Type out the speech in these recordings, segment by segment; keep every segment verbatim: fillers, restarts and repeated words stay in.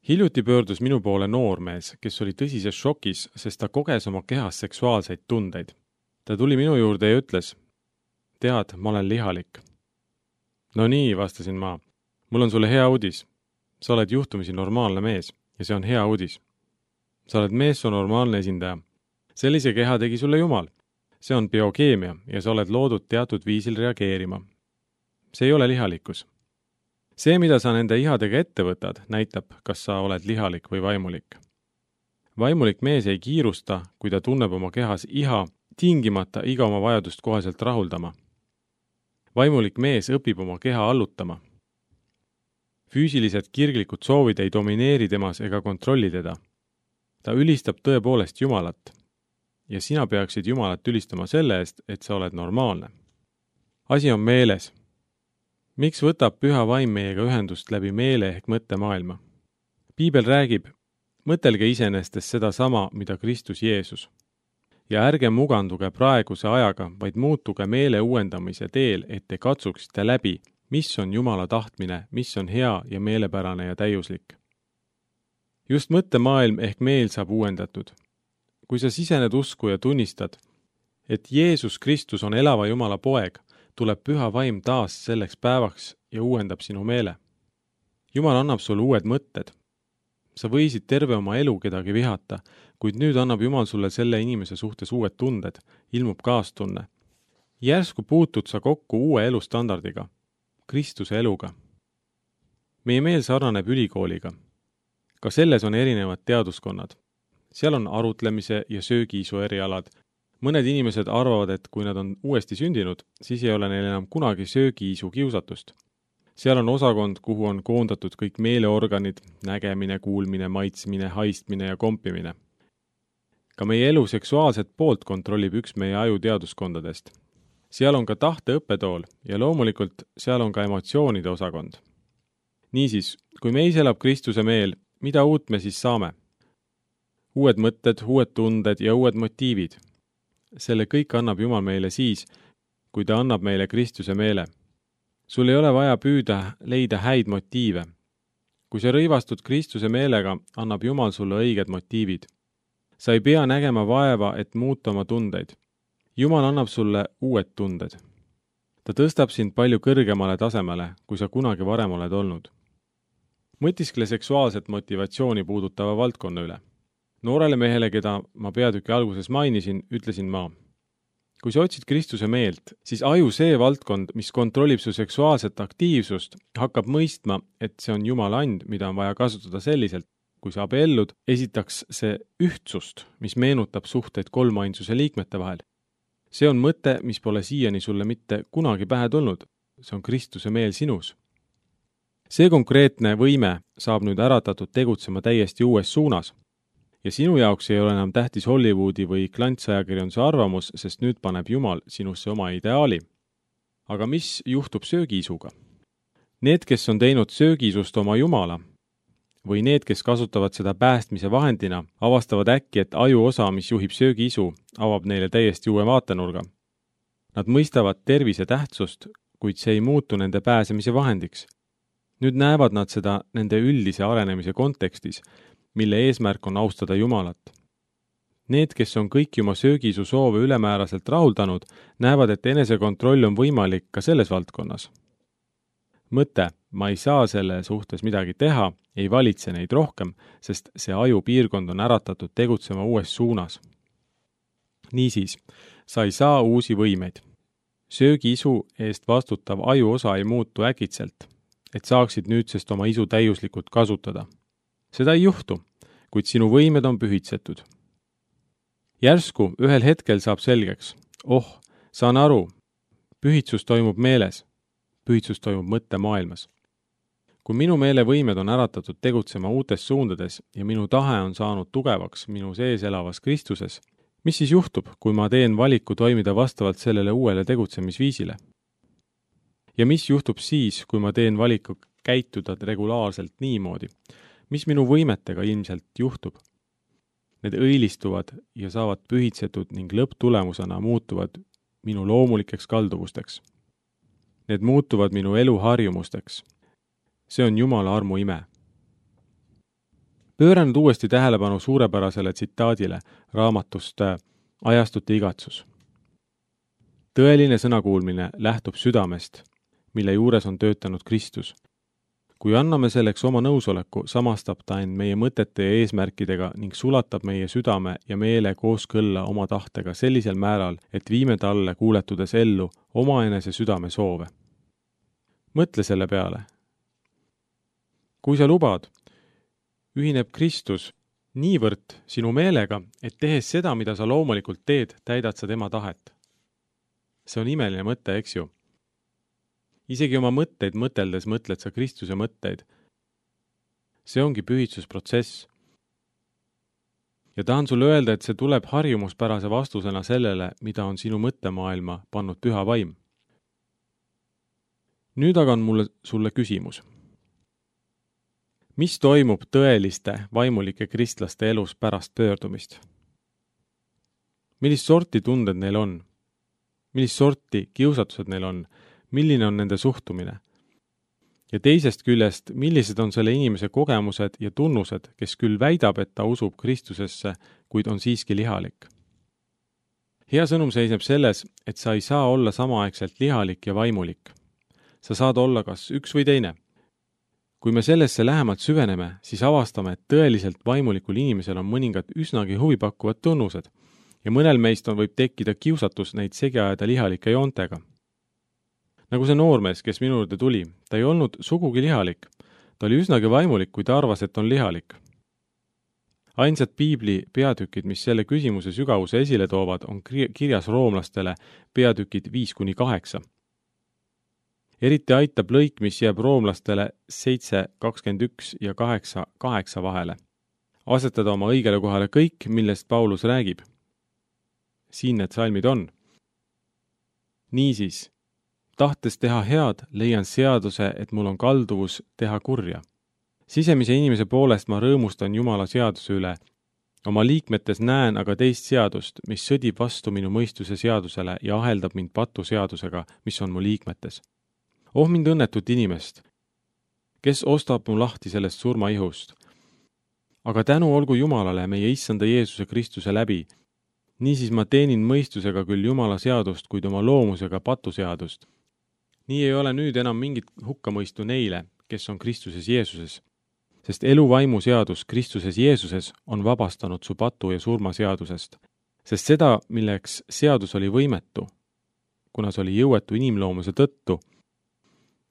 Hiljuti pöördus minu poole noormees, kes oli tõsises šokis, sest ta koges oma kehas seksuaalseid tundeid. Ta tuli minu juurde ja ütles, tead, ma olen lihalik. No nii, vastasin ma, mul on sulle hea uudis. Sa oled juhtumisi normaalne mees ja see on hea uudis. Sa oled meessoo normaalne esindaja. Sellise keha tegi sulle Jumal. See on biokeemia ja sa oled loodud teatud viisil reageerima. See ei ole lihalikkus. See, mida sa nende ihadega ette võtad, näitab, kas sa oled lihalik või vaimulik. Vaimulik mees ei kiirusta, kui ta tunneb oma kehas iha, tingimata iga oma vajadust koheselt rahuldama. Vaimulik mees õpib oma keha allutama. Füüsilised kirglikud soovid ei domineeri temas ega kontrolli teda. Ta ülistab tõepoolest Jumalat. Ja sina peaksid Jumalat ülistama selle eest, et sa oled normaalne. Asi on meeles. Miks võtab püha vaim meiega ühendust läbi meele ehk mõttemaailma? Piibel räägib, mõtelge iseenestes seda sama, mida Kristus Jeesus. Ja ärge muganduge praeguse ajaga, vaid muutuge meele uuendamise teel, et te katsuksite läbi, mis on Jumala tahtmine, mis on hea ja meelepärane ja täiuslik. Just mõttemaailm ehk meel saab uuendatud. Kui sa sisened usku ja tunnistad, et Jeesus Kristus on elava Jumala poeg, tuleb püha vaim taas selleks päevaks ja uuendab sinu meele. Jumal annab sulle uued mõtted. Sa võisid terve oma elu kedagi vihata, kuid nüüd annab Jumal sulle selle inimese suhtes uued tunded, ilmub kaastunne. Järsku puutud sa kokku uue elustandardiga, Kristuse eluga. Meie meel sarnaneb ülikooliga. Ka selles on erinevad teaduskonnad. Seal on arutlemise ja söögiisu erialad. Mõned inimesed arvavad, et kui nad on uuesti sündinud, siis ei ole neil enam kunagi söögiisu kiusatust. Seal on osakond, kuhu on koondatud kõik meeleorganid, nägemine, kuulmine, maitsmine, haistmine ja kompimine. Ka meie elu seksuaalset poolt kontrollib üks meie aju teaduskondadest. Seal on ka tahte õppetool ja loomulikult seal on ka emotsioonide osakond. Niisiis, kui meis elab Kristuse meel, mida uut me siis saame? Uued mõtted, uued tunded ja uued motiivid. Selle kõik annab Jumal meile siis, kui ta annab meile Kristuse meele. Sul ei ole vaja püüda leida häid motiive. Kui sa rõivastud Kristuse meelega, annab Jumal sulle õiged motiivid. Sa ei pea nägema vaeva, et muuta oma tundeid. Jumal annab sulle uued tunded. Ta tõstab sind palju kõrgemale tasemele, kui sa kunagi varem oled olnud. Mõtiskle seksuaalset motivatsiooni puudutava valdkonna üle. Noorele mehele, keda ma peatüki alguses mainisin, ütlesin ma. Kui sa otsid Kristuse meelt, siis aju see valdkond, mis kontrollib su seksuaalset aktiivsust, hakkab mõistma, et see on Jumala and, mida on vaja kasutada selliselt. Kui sa abiellud, esitaks see ühtsust, mis meenutab suhteid kolmainsuse liikmete vahel. See on mõte, mis pole siiani sulle mitte kunagi pähe tulnud. See on Kristuse meel sinus. See konkreetne võime saab nüüd äratatud tegutsema täiesti uues suunas. Ja sinu jaoks ei ole enam tähtis Hollywoodi või klantsajakirjanduse arvamus, sest nüüd paneb Jumal sinusse oma ideaali. Aga mis juhtub söögiisuga? Need, kes on teinud söögiisust oma Jumala, või need, kes kasutavad seda päästmise vahendina, avastavad äkki, et aju osa, mis juhib söögiisu, avab neile täiesti uue vaatenurga. Nad mõistavad tervise tähtsust, kuid see ei muutu nende pääsemise vahendiks. Nüüd näevad nad seda nende üldise arenemise kontekstis, mille eesmärk on austada Jumalat. Need, kes on kõiki oma söögiisu soove ülemääraselt rahuldanud, näevad, et enesekontroll on võimalik ka selles valdkonnas. Mõte, ma ei saa selle suhtes midagi teha, ei valitse neid rohkem, sest see aju piirkond on äratatud tegutsema uues suunas. Niisiis, sa ei saa uusi võimeid. Söögiisu eest vastutav aju osa ei muutu äkitselt, et saaksid nüüdsest oma isu täiuslikult kasutada. Seda ei juhtu, kuid sinu võimed on pühitsetud. Järsku ühel hetkel saab selgeks. Oh, saan aru, pühitsus toimub meeles, pühitsus toimub mõttemaailmas. Kui minu meele võimed on äratatud tegutsema uutes suundades ja minu tahe on saanud tugevaks minu sees elavas Kristuses, mis siis juhtub, kui ma teen valiku toimida vastavalt sellele uuele tegutsemisviisile? Ja mis juhtub siis, kui ma teen valiku käituda regulaarselt niimoodi? Mis minu võimetega ilmselt juhtub? Need õilistuvad ja saavad pühitsetud ning lõpptulemusena muutuvad minu loomulikeks kalduvusteks. Need muutuvad minu eluharjumusteks. See on Jumala armu ime. pööra nüüd uuesti tähelepanu suurepärasele tsitaadile raamatust Ajastute igatsus. Tõeline sõnakuulmine lähtub südamest, mille juures on töötanud Kristus. Kui anname selleks oma nõusoleku, samastab ta end meie mõtete ja eesmärkidega ning sulatab meie südame ja meele kooskõlla oma tahtega sellisel määral, et viime talle kuuletudes ellu omaenese südame soove. Mõtle selle peale. Kui sa lubad, ühineb Kristus niivõrd sinu meelega, et tehes seda, mida sa loomulikult teed, täidad sa tema tahet. See on imeline mõte, eks ju? Isegi oma mõtteid mõteldes mõtled sa Kristuse mõtteid. See ongi pühitsusprotsess. Ja tahan sulle öelda, et see tuleb harjumuspärase vastusena sellele, mida on sinu mõttemaailma pannud püha vaim. Nüüd aga on mulle sulle küsimus. Mis toimub tõeliste vaimulike kristlaste elus pärast pöördumist? Millist sorti tunded neil on? Millist sorti kiusatused neil on? Milline on nende suhtumine? Ja teisest küljest, millised on selle inimese kogemused ja tunnused, kes küll väidab, et ta usub Kristusesse, kuid on siiski lihalik? Hea sõnum seisneb selles, et sa ei saa olla samaaegselt lihalik ja vaimulik. Sa saad olla kas üks või teine. Kui me sellesse lähemalt süveneme, siis avastame, et tõeliselt vaimulikul inimesel on mõningad üsnagi huvipakkuvad tunnused ja mõnel meist on võib tekkida kiusatus neid segi ajada lihalike joontega. Nagu see noormees, kes minu juurde tuli, ta ei olnud sugugi lihalik. Ta oli üsnagi vaimulik, kui ta arvas, et on lihalik. Ainsad piibli peatükid, mis selle küsimuse sügavuse esile toovad, on kirjas roomlastele peatükid viis kuni kaheksa. Eriti aitab lõik, mis jääb roomlastele seitse kakskümmend üks ja kaheksa kaheksa vahele. Asetada oma õigele kohale kõik, millest Paulus räägib. Siin need salmid on. Niisiis, tahtes teha head, leian seaduse, et mul on kalduvus teha kurja. Sisemise inimese poolest ma rõõmustan Jumala seaduse üle. Oma liikmetes näen aga teist seadust, mis sõdib vastu minu mõistuse seadusele ja aheldab mind patu seadusega, mis on mu liikmetes. Oh mind õnnetut inimest, kes ostab mu lahti sellest surmaihust. Aga tänu olgu Jumalale meie issanda Jeesuse Kristuse läbi. Niisiis ma teenin mõistusega küll Jumala seadust, kuid oma loomusega patu seadust. Nii ei ole nüüd enam mingit hukkamõistu neile, kes on Kristuses Jeesuses, sest eluvaimu seadus Kristuses Jeesuses on vabastanud su patu ja surma seadusest, sest seda, milleks seadus oli võimetu, kuna see oli jõuetu inimloomuse tõttu,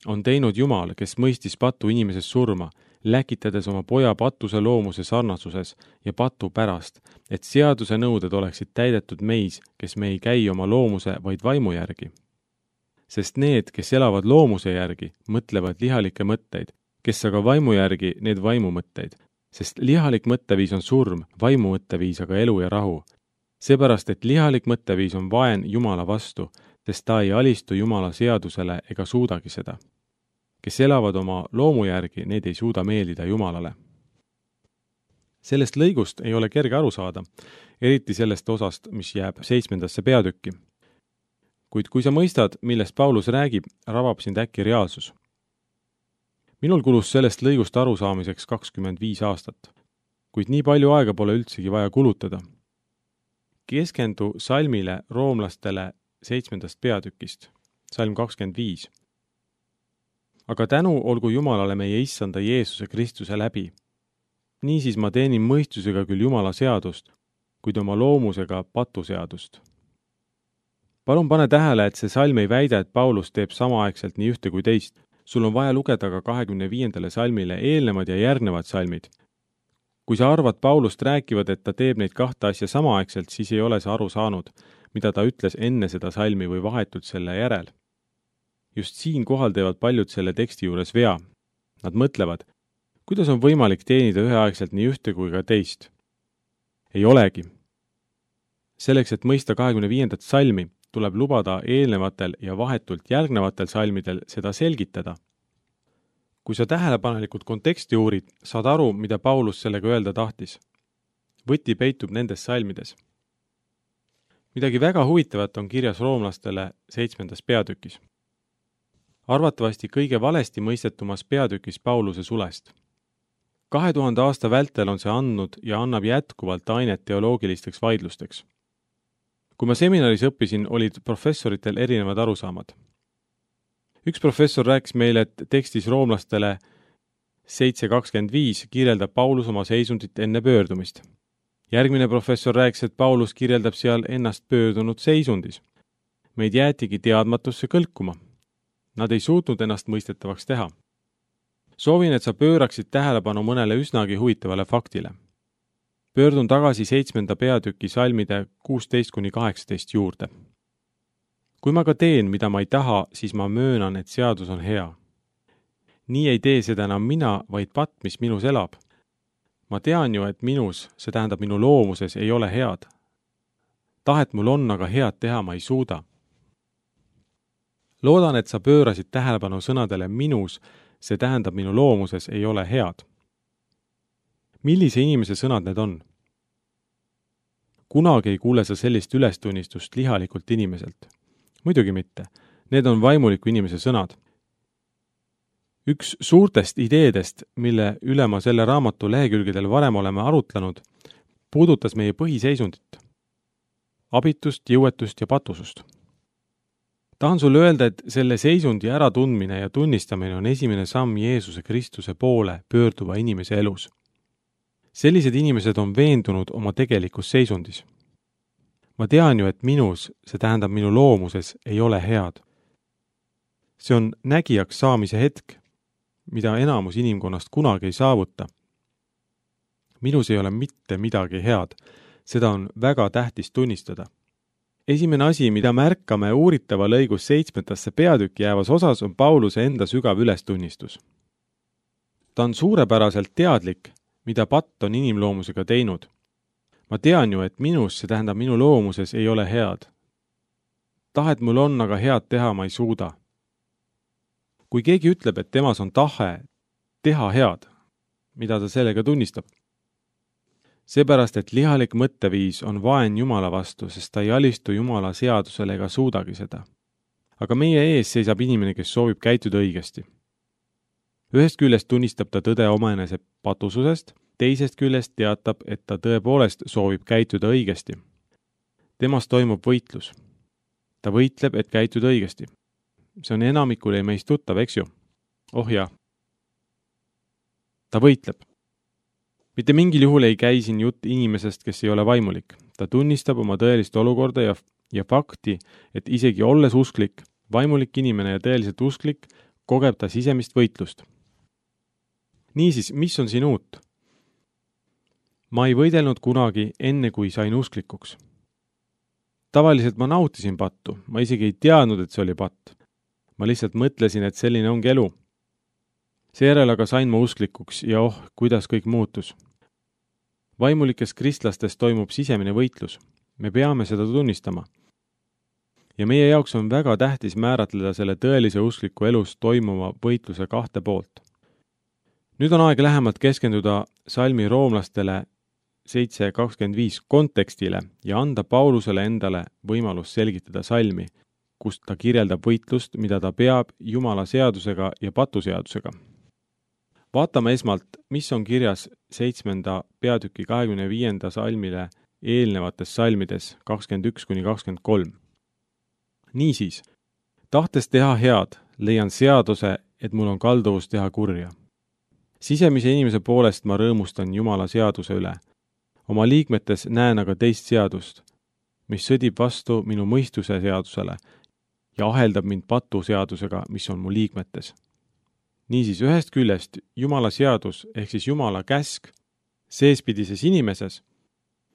on teinud Jumal, kes mõistis patu inimeses surma, läkitades oma poja patuse loomuse sarnasuses ja patu pärast, et seaduse nõuded oleksid täidetud meis, kes me ei käi oma loomuse, vaid vaimu järgi. Sest need, kes elavad loomuse järgi, mõtlevad lihalikke mõtteid, kes aga vaimu järgi need vaimu mõtteid, sest lihalik mõtteviis on surm, vaimu mõtteviis aga elu ja rahu. Seepärast, et lihalik mõtteviis on vaen Jumala vastu, sest ta ei alistu Jumala seadusele ega suudagi seda. Kes elavad oma loomu järgi, need ei suuda meeldida Jumalale. Sellest lõigust ei ole kerge aru saada, eriti sellest osast, mis jääb seitsmendasse peatükki. Kuid kui sa mõistad, millest Paulus räägib, ravab sind äkki reaalsus. Minul kulus sellest lõigust aru saamiseks kakskümmend viis aastat, kuid nii palju aega pole üldsegi vaja kulutada. Keskendu salmile roomlastele seitsmendast peatükist, salm kakskümmend viis. Aga tänu olgu Jumalale meie issanda Jeesuse Kristuse läbi. Niisiis ma teenin mõistusega küll Jumala seadust, kuid oma loomusega patu seadust. Palun pane tähele, et see salm ei väida, et Paulus teeb samaaegselt nii ühte kui teist. Sul on vaja lugeda ka kahekümne viiendale salmile eelnevad ja järgnevad salmid. Kui sa arvad Paulust rääkivad, et ta teeb neid kahte asja samaaegselt, siis ei ole sa aru saanud, mida ta ütles enne seda salmi või vahetult selle järel. Just siin kohal teevad paljud selle teksti juures vea. Nad mõtlevad, kuidas on võimalik teenida üheaegselt nii ühte kui ka teist. Ei olegi. Selleks, et mõista kahekümne viiendat salmi, tuleb lubada eelnevatel ja vahetult järgnevatel salmidel seda selgitada. Kui sa tähelepanelikult konteksti uurid, saad aru, mida Paulus sellega öelda tahtis. Võti peitub nendes salmides. Midagi väga huvitavat on kirjas roomlastele seitsmendas peatükis. Arvatavasti kõige valesti mõistetumas peatükis Pauluse sulest. kahe tuhande aasta vältel on see andnud ja annab jätkuvalt ainet teoloogilisteks vaidlusteks. Kui ma seminaris õppisin, olid professoritel erinevad arusaamad. Üks professor rääkis meile, et tekstis roomlastele seitse kakskümmend viis kirjeldab Paulus oma seisundit enne pöördumist. Järgmine professor rääkis, et Paulus kirjeldab seal ennast pöördunud seisundis. Meid jäetigi teadmatusse kõlkuma. Nad ei suutnud ennast mõistetavaks teha. Soovin, et sa pööraksid tähelepanu mõnele üsnagi huvitavale faktile. Pöördun tagasi seitsmenda peatüki salmide kuusteist kuni kaheksateist juurde. Kui ma ka teen, mida ma ei taha, siis ma möönan, et seadus on hea. Nii ei tee seda enam mina, vaid patt, mis minus elab. Ma tean ju, et minus, see tähendab minu loomuses, ei ole head. Tahet mul on, aga head teha ma ei suuda. Loodan, et sa pöörasid tähelepanu sõnadele minus, see tähendab minu loomuses ei ole head. Millise inimese sõnad need on? Kunagi ei kuule sa sellist ülestunnistust lihalikult inimeselt. Muidugi mitte. Need on vaimuliku inimese sõnad. Üks suurtest ideedest, mille üle ma selle raamatu lehekülgedel varem oleme arutlenud, puudutas meie põhiseisundit. Abitust, jõuetust ja patusust. Tahan sulle öelda, et selle seisundi äratundmine ja tunnistamine on esimene samm Jeesuse Kristuse poole pöörduva inimese elus. Sellised inimesed on veendunud oma tegelikus seisundis. Ma tean ju, et minus, see tähendab minu loomuses, ei ole head. See on nägijaks saamise hetk, mida enamus inimkonnast kunagi ei saavuta. Minus ei ole mitte midagi head, seda on väga tähtis tunnistada. Esimene asi, mida märkame uuritava lõigus seitsmendasse peatükki jäävas osas, on Pauluse enda sügav ülestunnistus. Ta on suurepäraselt teadlik, mida patt on inimloomusega teinud. Ma tean ju, et minus, see tähendab minu loomuses, ei ole head. Tahet mul on, aga head teha ma ei suuda. Kui keegi ütleb, et temas on tahe teha head, mida ta sellega tunnistab? Seepärast, et lihalik mõtteviis on vaen Jumala vastu, sest ta ei alistu Jumala seadusele ega suudagi seda. Aga meie ees seisab inimene, kes soovib käituda õigesti. Ühest küljest tunnistab ta tõde omaenese patususest, teisest küljest teatab, et ta tõepoolest soovib käituda õigesti. Temas toimub võitlus. Ta võitleb, et käituda õigesti. See on enamikule meist tuttav, eks ju? Oh jah. Ta võitleb. Mitte mingil juhul ei käi siin jutt inimesest, kes ei ole vaimulik. Ta tunnistab oma tõelist olukorda ja, ja fakti, et isegi olles usklik, vaimulik inimene ja tõeliselt usklik, kogeb ta sisemist võitlust. Niisiis, mis on siin uut? Ma ei võidelnud kunagi enne, kui sain usklikuks. Tavaliselt ma nautisin pattu, ma isegi ei teadnud, et see oli patt. Ma lihtsalt mõtlesin, et selline ongi elu. Seejärel aga sain ma usklikuks ja oh, kuidas kõik muutus. Vaimulikes kristlastes toimub sisemine võitlus. Me peame seda tunnistama. Ja meie jaoks on väga tähtis määratleda selle tõelise uskliku elus toimuma võitluse kahte poolt. Nüüd on aeg lähemalt keskenduda salmi roomlastele seitse kakskümmend viis kontekstile ja anda Paulusele endale võimalus selgitada salmi, kus ta kirjeldab võitlust, mida ta peab Jumala seadusega ja patuseadusega. Vaatame esmalt, mis on kirjas seitsmenda peatüki kahekümne viienda salmile eelnevates salmides kakskümmend üks kuni kakskümmend kolm. Niisiis, tahtes teha head, leian seaduse, et mul on kalduvus teha kurja. Sisemise inimese poolest ma rõõmustan Jumala seaduse üle. Oma liikmetes näen aga teist seadust, mis sõdib vastu minu mõistuse seadusele ja aheldab mind patu seadusega, mis on mu liikmetes. Niisiis, ühest küljest Jumala seadus ehk siis Jumala käsk seespidises inimeses,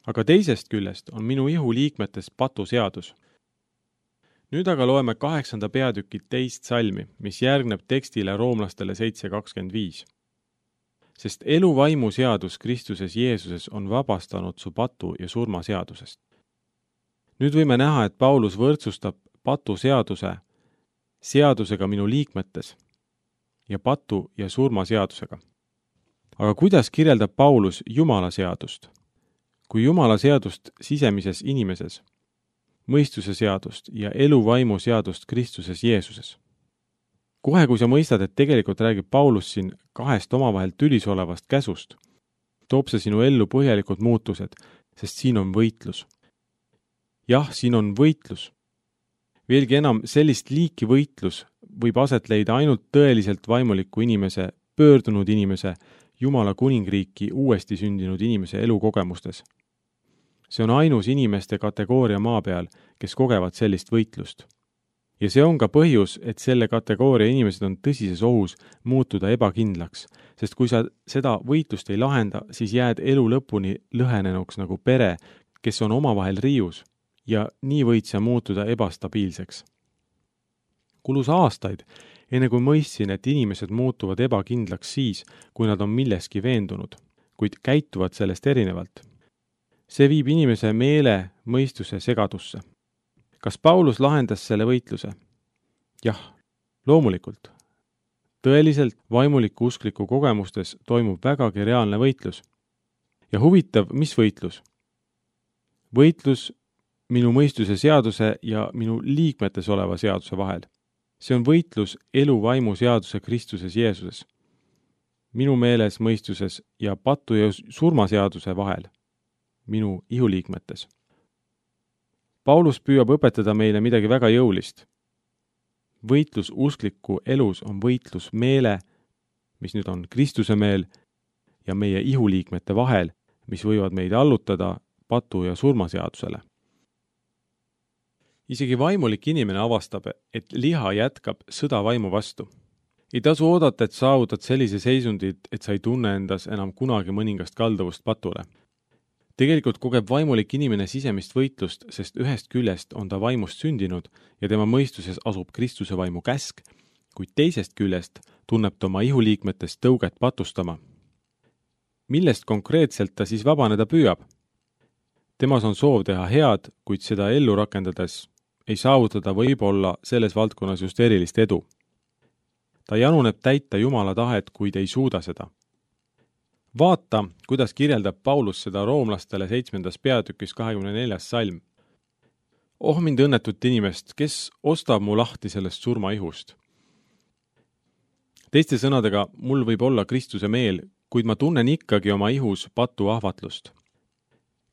aga teisest küljest on minu ihu liikmetes patu seadus. Nüüd aga loeme kaheksanda peatüki teist salmi, mis järgneb tekstile roomlastele seitse kakskümmend viis. Sest elu vaimu seadus Kristuses Jeesuses on vabastanud su patu ja surma seadusest. Nüüd võime näha, et Paulus võrdsustab patu seaduse seadusega minu liikmetes ja patu ja surma seadusega. Aga kuidas kirjeldab Paulus Jumala seadust? Kui Jumala seadust sisemises inimeses, mõistuse seadust ja elu vaimu seadust Kristuses Jeesuses. kohe, kui sa mõistad, et tegelikult räägib Paulus siin kahest omavahel tülis olevast käsust, toob see sinu ellu põhjalikud muutused, sest siin on võitlus. jah, siin on võitlus. Veelgi enam, sellist liiki võitlus võib aset leida ainult tõeliselt vaimuliku inimese, pöördunud inimese, Jumala kuningriiki uuesti sündinud inimese elukogemustes. See on ainus inimeste kategooria maa peal, kes kogevad sellist võitlust. Ja see on ka põhjus, et selle kategooria inimesed on tõsises ohus muutuda ebakindlaks, sest kui sa seda võitlust ei lahenda, siis jääd elu lõpuni lõhenenuks nagu pere, kes on omavahel riius, ja nii võid sa muutuda ebastabiilseks. Kulus aastaid, enne kui mõistsin, et inimesed muutuvad ebakindlaks siis, kui nad on milleski veendunud, kuid käituvad sellest erinevalt. See viib inimese meele mõistuse segadusse. Kas Paulus lahendas selle võitluse? Jah, loomulikult. Tõeliselt vaimuliku uskliku kogemustes toimub vägagi reaalne võitlus. Ja huvitav, mis võitlus? Võitlus minu mõistuse seaduse ja minu liikmetes oleva seaduse vahel. See on võitlus elu vaimu seaduse Kristuses Jeesuses. Minu meeles mõistuses ja patu ja surmaseaduse vahel. Minu ihuliikmetes. Paulus püüab õpetada meile midagi väga jõulist. Võitlus uskliku elus on võitlus meele, mis nüüd on Kristuse meel, ja meie ihuliikmete vahel, mis võivad meid allutada patu ja surmaseadusele. Isegi vaimulik inimene avastab, et liha jätkab sõda vaimu vastu. Ei tasu oodata, et saavutad sellise seisundid, et sa ei tunne endas enam kunagi mõningast kalduvust patule. Tegelikult kogeb vaimulik inimene sisemist võitlust, sest ühest küljest on ta vaimust sündinud ja tema mõistuses asub Kristuse vaimu käsk, kuid teisest küljest tunneb ta oma ihuliikmetest tõuget patustama. Millest konkreetselt ta siis vabaneda püüab? Temas on soov teha head, kuid seda ellu rakendades ei saavutada võib-olla selles valdkonnas just erilist edu. Ta januneb täita Jumala tahet, kuid ei suuda seda. Vaata, kuidas kirjeldab Paulus seda roomlastele seitsmendas peatükis kahekümne neljas salm. Oh mind õnnetut inimest, kes ostab mu lahti sellest surmaihust. Teiste sõnadega, mul võib olla Kristuse meel, kuid ma tunnen ikkagi oma ihus patu ahvatlust.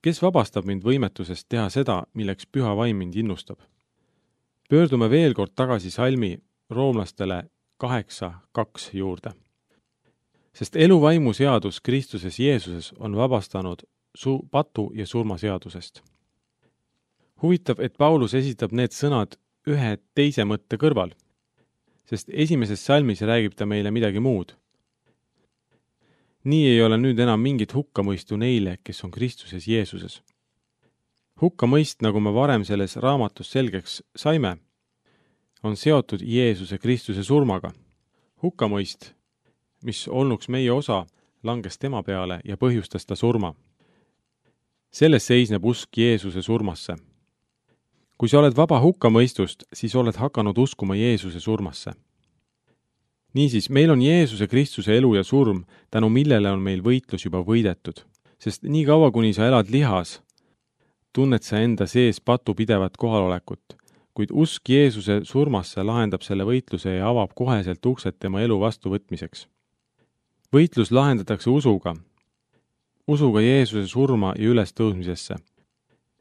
Kes vabastab mind võimetusest teha seda, milleks püha vaim mind innustab? Pöördume veel kord tagasi salmi roomlastele kaheksa kaks juurde. Sest eluvaimu seadus Kristuses Jeesuses on vabastanud su patu ja surmaseadusest. Huvitav, et Paulus esitab need sõnad ühe teise mõtte kõrval, sest esimeses salmis räägib ta meile midagi muud. Nii ei ole nüüd enam mingit hukkamõistu neile, kes on Kristuses Jeesuses. Hukkamõist, nagu me varem selles raamatus selgeks saime, on seotud Jeesuse Kristuse surmaga. Hukkamõist, mis olnuks meie osa, langes tema peale ja põhjustas ta surma. Selles seisneb usk Jeesuse surmasse. Kui sa oled vaba hukkamõistust, siis oled hakanud uskuma Jeesuse surmasse. Niisiis, meil on Jeesuse Kristuse elu ja surm, tänu millele on meil võitlus juba võidetud, sest nii kaua, kuni sa elad lihas, tunned sa enda sees patu pidevat kohalolekut, kuid usk Jeesuse surmasse lahendab selle võitluse ja avab koheselt uksed tema elu vastuvõtmiseks. Võitlus lahendatakse usuga, usuga Jeesuse surma ja ülestõusmisesse.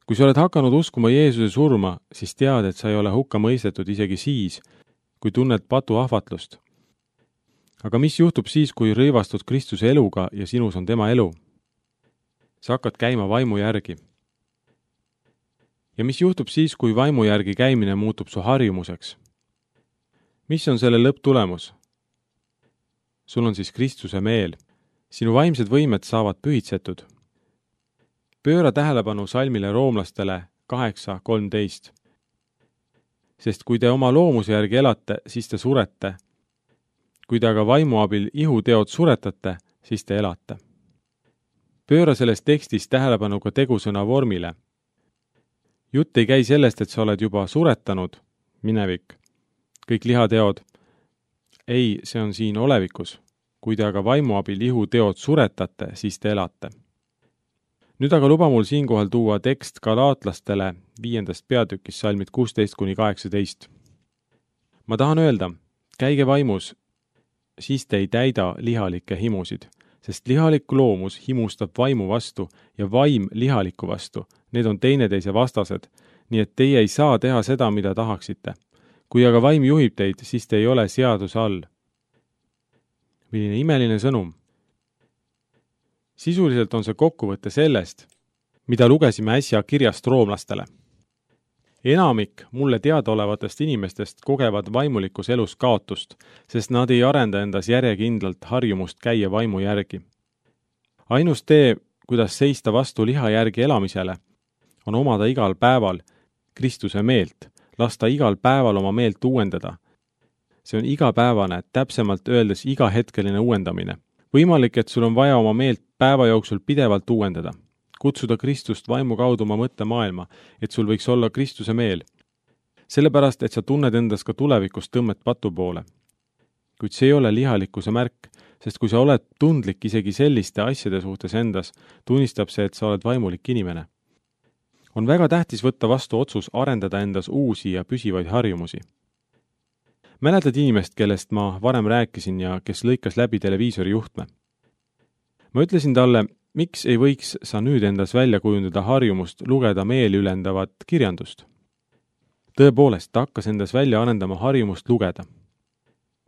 Kui sa oled hakanud uskuma Jeesuse surma, siis tead, et sa ei ole hukka mõistetud isegi siis, kui tunned patu ahvatlust. Aga mis juhtub siis, kui rõivastud Kristuse eluga ja sinus on tema elu? Sa hakkad käima vaimu järgi. Ja mis juhtub siis, kui vaimu järgi käimine muutub su harjumuseks? Mis on selle lõpptulemus? Sul on siis Kristuse meel. Sinu vaimsed võimed saavad pühitsetud. Pööra tähelepanu salmile roomlastele kaheksa kolmteist. Sest kui te oma loomuse järgi elate, siis te surete. Kui te aga vaimu abil ihuteod suretate, siis te elate. Pööra selles tekstis tähelepanu ka tegusõna vormile. Jutt ei käi sellest, et sa oled juba suretanud, minevik, kõik lihateod. Ei, see on siin olevikus. Kui te aga vaimu abil ihuteod suretate, siis te elate. Nüüd aga luba mul siinkohal tuua tekst galaatlastele viiendast peatükis salmid kuusteist kuni kaheksateist. Ma tahan öelda, käige vaimus, siis te ei täida lihalikke himusid, sest lihalik loomus himustab vaimu vastu ja vaim lihaliku vastu. Need on teineteise vastased, nii et teie ei saa teha seda, mida tahaksite. Kui aga vaim juhib teid, siis te ei ole seaduse all. Milline imeline sõnum. Sisuliselt on see kokkuvõte sellest, mida lugesime äsja kirjast roomlastele. Enamik mulle teadaolevatest inimestest kogevad vaimulikus elus kaotust, sest nad ei arenda endas järjekindlalt harjumust käia vaimu järgi. Ainus tee, kuidas seista vastu liha järgi elamisele, on omada igal päeval Kristuse meelt, lasta igal päeval oma meelt uuendada. See on igapäevane, täpsemalt öeldes igahetkeline uuendamine. Võimalik, et sul on vaja oma meelt päeva jooksul pidevalt uuendada. Kutsuda Kristust vaimu kaudu oma mõttemaailma, et sul võiks olla Kristuse meel. Sellepärast, et sa tunned endas ka tulevikus tõmmet patu poole. Kuid see ei ole lihalikkuse märk, sest kui sa oled tundlik isegi selliste asjade suhtes endas, tunnistab see, et sa oled vaimulik inimene. On väga tähtis võtta vastu otsus arendada endas uusi ja püsivaid harjumusi. Mäletad inimest, kellest ma varem rääkisin ja kes lõikas läbi televiisori juhtme? Ma ütlesin talle, miks ei võiks sa nüüd endas välja kujundada harjumust lugeda meeliülendavat kirjandust? Tõepoolest, ta hakkas endas välja arendama harjumust lugeda.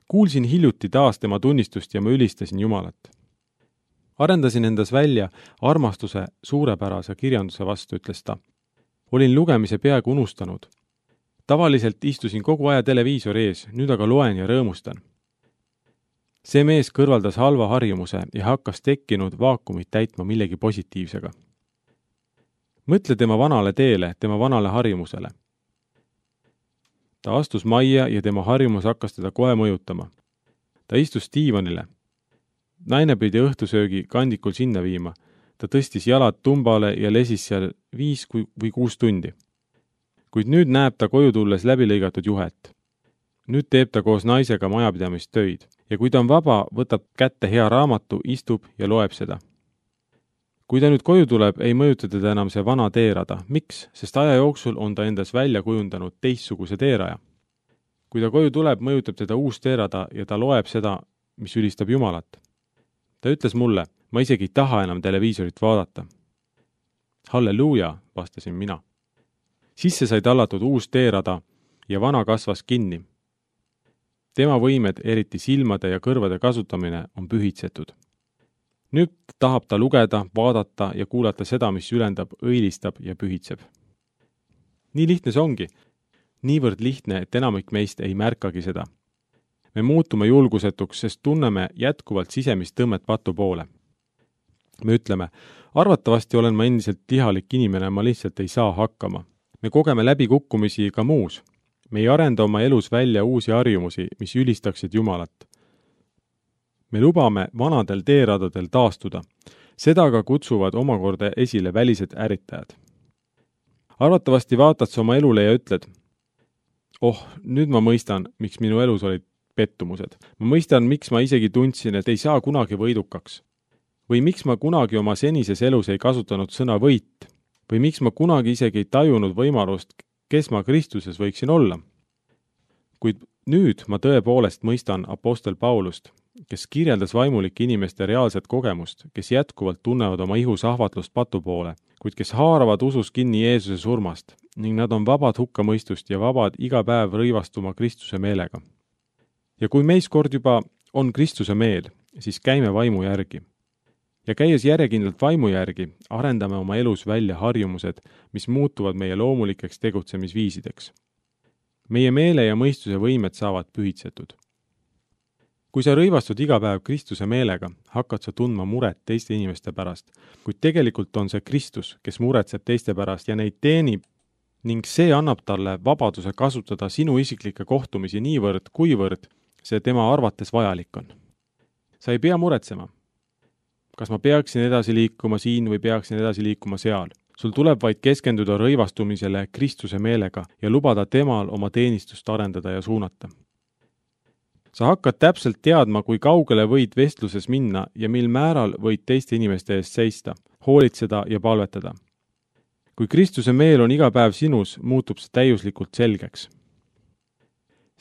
Kuulsin hiljuti taas tema tunnistust ja ma ülistasin Jumalat. Arendasin endas välja armastuse suurepärase kirjanduse vastu, ütles ta. Olin lugemise peaaegu unustanud. Tavaliselt istusin kogu aja televiisori ees, nüüd aga loen ja rõõmustan. See mees kõrvaldas halva harjumuse ja hakkas tekkinud vaakumit täitma millegi positiivsega. Mõtle tema vanale teele, tema vanale harjumusele. Ta astus majja ja tema harjumus hakkas teda kohe mõjutama. Ta istus diivanile. Naine pidi õhtusöögi kandikul sinna viima. Ta tõstis jalad tumbale ja lesis seal viis või kuus tundi. Kuid nüüd näeb ta koju tulles läbilõigatud juhet. Nüüd teeb ta koos naisega majapidamist töid ja kui ta on vaba, võtab kätte hea raamatu, istub ja loeb seda. Kui ta nüüd koju tuleb, ei mõjuta teda enam see vana teerada. Miks? Sest aja jooksul on ta endas välja kujundanud teistsuguse teeraja. Kui ta koju tuleb, mõjutab teda uus teerada ja ta loeb seda, mis ülistab Jumalat. Ta ütles mulle, ma isegi ei taha enam televiisorit vaadata. Halleluuja, vastasin mina. Sisse sai tallatud uus teerada ja vana kasvas kinni. Tema võimed, eriti silmade ja kõrvade kasutamine, on pühitsetud. Nüüd tahab ta lugeda, vaadata ja kuulata seda, mis ülendab, õilistab ja pühitseb. Nii lihtne see ongi. Niivõrd lihtne, et enamik meist ei märkagi seda. Me muutume julgusetuks, sest tunneme jätkuvalt sisemist tõmmet patu poole. Me ütleme, arvatavasti olen ma endiselt lihalik inimene, ma lihtsalt ei saa hakkama. Me kogeme läbikukkumisi ka muus. Me ei arenda oma elus välja uusi harjumusi, mis ülistaksid Jumalat. Me lubame vanadel teeradadel taastuda. Seda aga kutsuvad omakorda esile välised ärritajad. Arvatavasti vaatad sa oma elule ja ütled, oh, nüüd ma mõistan, miks minu elus olid pettumused. Ma mõistan, miks ma isegi tundsin, et ei saa kunagi võidukaks. Või miks ma kunagi oma senises elus ei kasutanud sõna võit. Või miks ma kunagi isegi ei tajunud võimalust, kes ma Kristuses võiksin olla. Kuid nüüd ma tõepoolest mõistan apostel Paulust, kes kirjeldas vaimulike inimeste reaalset kogemust, kes jätkuvalt tunnevad oma ihus ahvatlust patu poole, kuid kes haaravad usus kinni Jeesuse surmast ning nad on vabad hukkamõistust ja vabad iga päev rõivastuma Kristuse meelega. Ja kui meis kord juba on Kristuse meel, siis käime vaimu järgi. Ja käies järjekindlalt vaimu järgi, arendame oma elus välja harjumused, mis muutuvad meie loomulikeks tegutsemisviisideks. Meie meele ja mõistuse võimed saavad pühitsetud. Kui sa rõivastud iga päev Kristuse meelega, hakkad sa tundma muret teiste inimeste pärast, kuid tegelikult on see Kristus, kes muretseb teiste pärast ja neid teenib ning see annab talle vabaduse kasutada sinu isiklikke kohtumisi niivõrd, kuivõrd see tema arvates vajalik on. Sa ei pea muretsema. Kas ma peaksin edasi liikuma siin või peaksin edasi liikuma seal? Sul tuleb vaid keskenduda rõivastumisele Kristuse meelega ja lubada temal oma teenistust arendada ja suunata. Sa hakkad täpselt teadma, kui kaugele võid vestluses minna ja mil määral võid teiste inimeste eest seista, hoolitseda ja palvetada. Kui Kristuse meel on iga päev sinus, muutub see täiuslikult selgeks.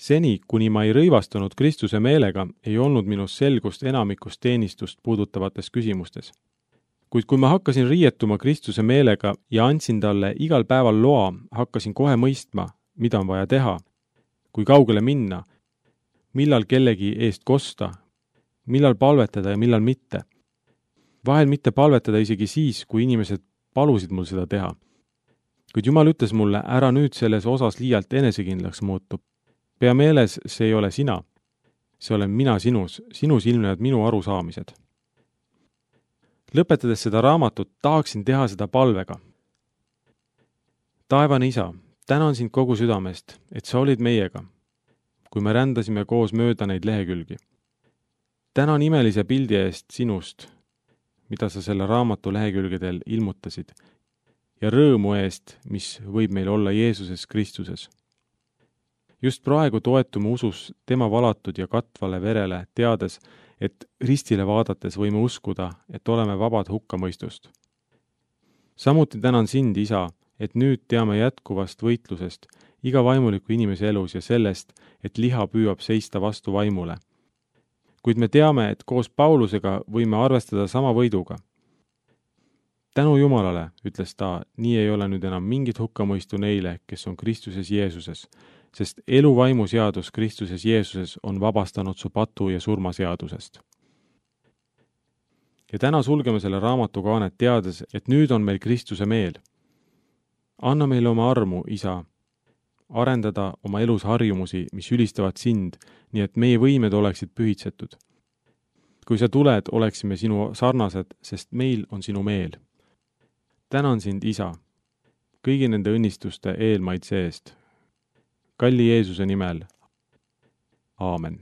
seni, kuni ma ei rõivastunud Kristuse meelega, ei olnud minus selgust enamikust teenistust puudutavates küsimustes. Kuid kui ma hakkasin riietuma Kristuse meelega ja andsin talle igal päeval loa, hakkasin kohe mõistma, mida on vaja teha, kui kaugele minna, millal kellegi eest kosta, millal palvetada ja millal mitte. Vahel mitte palvetada isegi siis, kui inimesed palusid mul seda teha. Kuid Jumal ütles mulle, ära nüüd selles osas liialt enesekindlaks muutub. Pea meeles, see ei ole sina. See olen mina sinus, sinus ilmnevad minu arusaamised. Lõpetades seda raamatut, tahaksin teha seda palvega. Taevane Isa, tänan sind kogu südamest, et sa olid meiega, kui me rändasime koos mööda neid lehekülgi. Tänan imelise pildi eest sinust, mida sa selle raamatu lehekülgedel ilmutasid, ja rõõmu eest, mis võib meil olla Jeesuses Kristuses. Just praegu toetume usus tema valatud ja katvale verele, teades, et ristile vaadates võime uskuda, et oleme vabad hukkamõistust. Samuti tänan sind, Isa, et nüüd teame jätkuvast võitlusest iga vaimuliku inimese elus ja sellest, et liha püüab seista vastu vaimule. Kuid me teame, et koos Paulusega võime arvestada sama võiduga. Tänu Jumalale, ütles ta, nii ei ole nüüd enam mingit hukkamõistu neile, kes on Kristuses Jeesuses, sest elu vaimuseadus Kristuses Jeesuses on vabastanud su patu ja surmaseadusest. Ja täna sulgeme selle raamatu kaanet teades, et nüüd on meil Kristuse meel. Anna meile oma armu, Isa, arendada oma elus harjumusi, mis ülistavad sind, nii et meie võimed oleksid pühitsetud. Kui sa tuled, oleksime sinu sarnased, sest meil on sinu meel. Tänan sind, Isa, kõigi nende õnnistuste eelmaitse eest. Kalli Jeesuse nimel. Aamen.